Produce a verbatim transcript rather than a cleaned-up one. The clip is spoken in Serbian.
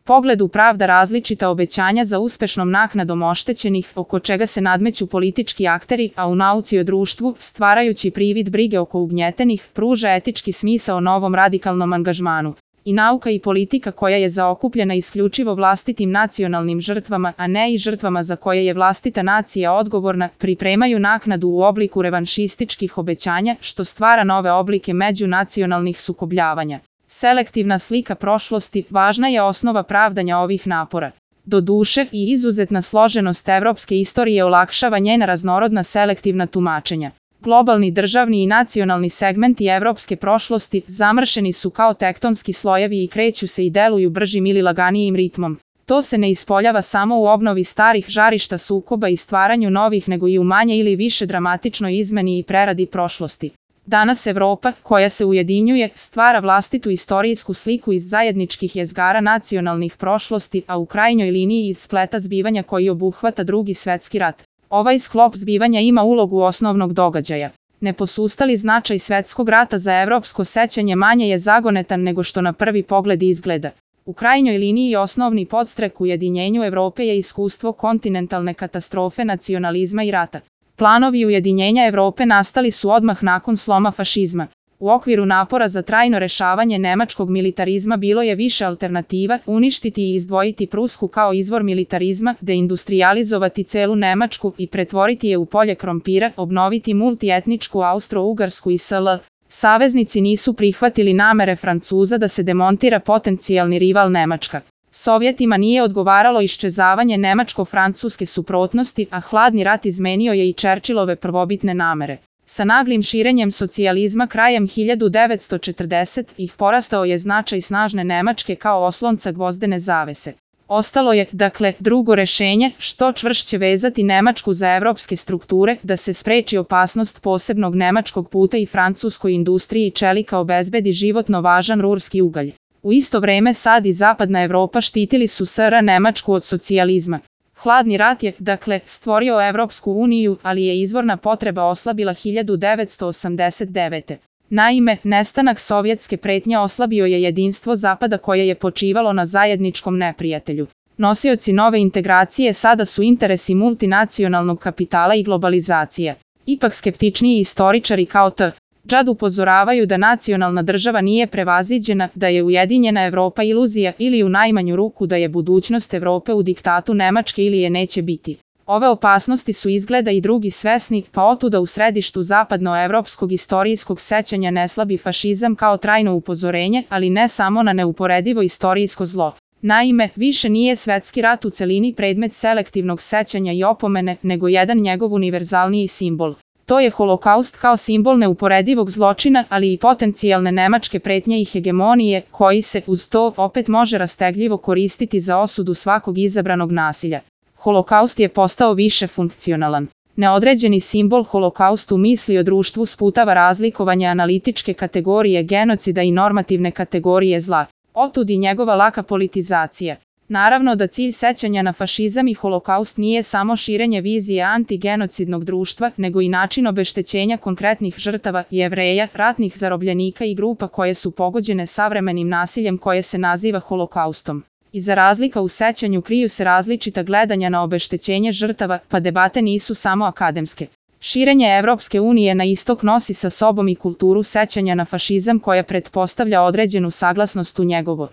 pogledu pravda različita obećanja za uspešnom naknadom oštećenih, oko čega se nadmeću politički akteri, a u nauci o društvu, stvarajući privid brige oko ugnjetenih, pruža etički smisao novom radikalnom angažmanu. I nauka i politika koja je zaokupljena isključivo vlastitim nacionalnim žrtvama, a ne i žrtvama za koje je vlastita nacija odgovorna, pripremaju naknadu u obliku revanšističkih obećanja, što stvara nove oblike međunacionalnih sukobljavanja. Selektivna slika prošlosti važna je osnova pravdanja ovih napora. Doduše, i izuzetna složenost evropske istorije olakšava njena raznorodna selektivna tumačenja. Globalni državni i nacionalni segmenti evropske prošlosti zamršeni su kao tektonski slojevi i kreću se i deluju bržim ili laganijim ritmom. To se ne ispoljava samo u obnovi starih žarišta sukoba i stvaranju novih, nego i u manje ili više dramatičnoj izmeni i preradi prošlosti. Danas Evropa, koja se ujedinjuje, stvara vlastitu istorijsku sliku iz zajedničkih jezgara nacionalnih prošlosti, a u krajnjoj liniji iz spleta zbivanja koji obuhvata Drugi svetski rat. Ovaj sklop zbivanja ima ulogu osnovnog događaja. Neposustali značaj svetskog rata za evropsko sećanje manje je zagonetan nego što na prvi pogled izgleda. U krajnjoj liniji osnovni podstrek ujedinjenju Evrope je iskustvo kontinentalne katastrofe nacionalizma i rata. Planovi ujedinjenja Evrope nastali su odmah nakon sloma fašizma. U okviru napora za trajno rešavanje nemačkog militarizma bilo je više alternativa: uništiti i izdvojiti Prusku kao izvor militarizma, deindustrializovati celu Nemačku i pretvoriti je u polje krompira, obnoviti multietničku Austro-Ugarsku i S L. Saveznici nisu prihvatili namere Francuza da se demontira potencijalni rival Nemačka. Sovjetima nije odgovaralo iščezavanje nemačko-francuske suprotnosti, a hladni rat izmenio je i Churchillove prvobitne namere. Sa naglim širenjem socijalizma krajem hiljadu devetsto četrdesetih porastao je značaj snažne Nemačke kao oslonca gvozdene zavese. Ostalo je, dakle, drugo rešenje, što čvršće vezati Nemačku za evropske strukture, da se spreči opasnost posebnog nemačkog puta i francuskoj industriji čelika obezbedi životno važan rurski ugalj. U isto vreme SAD i Zapadna Evropa štitili su S R Nemačku od socijalizma. Hladni rat je, dakle, stvorio Evropsku uniju, ali je izvorna potreba oslabila hiljadu devetsto osamdeset devete. Naime, nestanak sovjetske pretnje oslabio je jedinstvo Zapada koje je počivalo na zajedničkom neprijatelju. Nosioci nove integracije sada su interesi multinacionalnog kapitala i globalizacija. Ipak skeptičniji istoričari kao T. Džad upozoravaju da nacionalna država nije prevaziđena, da je ujedinjena Evropa iluzija ili u najmanju ruku da je budućnost Evrope u diktatu Nemačke ili je neće biti. Ove opasnosti su izgleda i drugi svesni, pa otuda u središtu zapadnoevropskog istorijskog sećanja ne slabi fašizam kao trajno upozorenje, ali ne samo na neuporedivo istorijsko zlo. Naime, više nije svetski rat u celini predmet selektivnog sećanja i opomene, nego jedan njegov univerzalniji simbol. To je Holokaust kao simbol neuporedivog zločina, ali i potencijalne nemačke pretnje i hegemonije, koji se, uz to, opet može rastegljivo koristiti za osudu svakog izabranog nasilja. Holokaust je postao više funkcionalan. Neodređeni simbol Holokaust u misli o društvu sputava razlikovanje analitičke kategorije genocida i normativne kategorije zla. Otud i njegova laka politizacija. Naravno da cilj sećanja na fašizam i Holokaust nije samo širenje vizije antigenocidnog društva, nego i način obeštećenja konkretnih žrtava, Jevreja, ratnih zarobljenika i grupa koje su pogođene savremenim nasiljem koje se naziva Holokaustom. Iza razlika u sećanju kriju se različita gledanja na obeštećenje žrtava, pa debate nisu samo akademske. Širenje Evropske unije na istok nosi sa sobom i kulturu sećanja na fašizam koja pretpostavlja određenu saglasnost u njegovo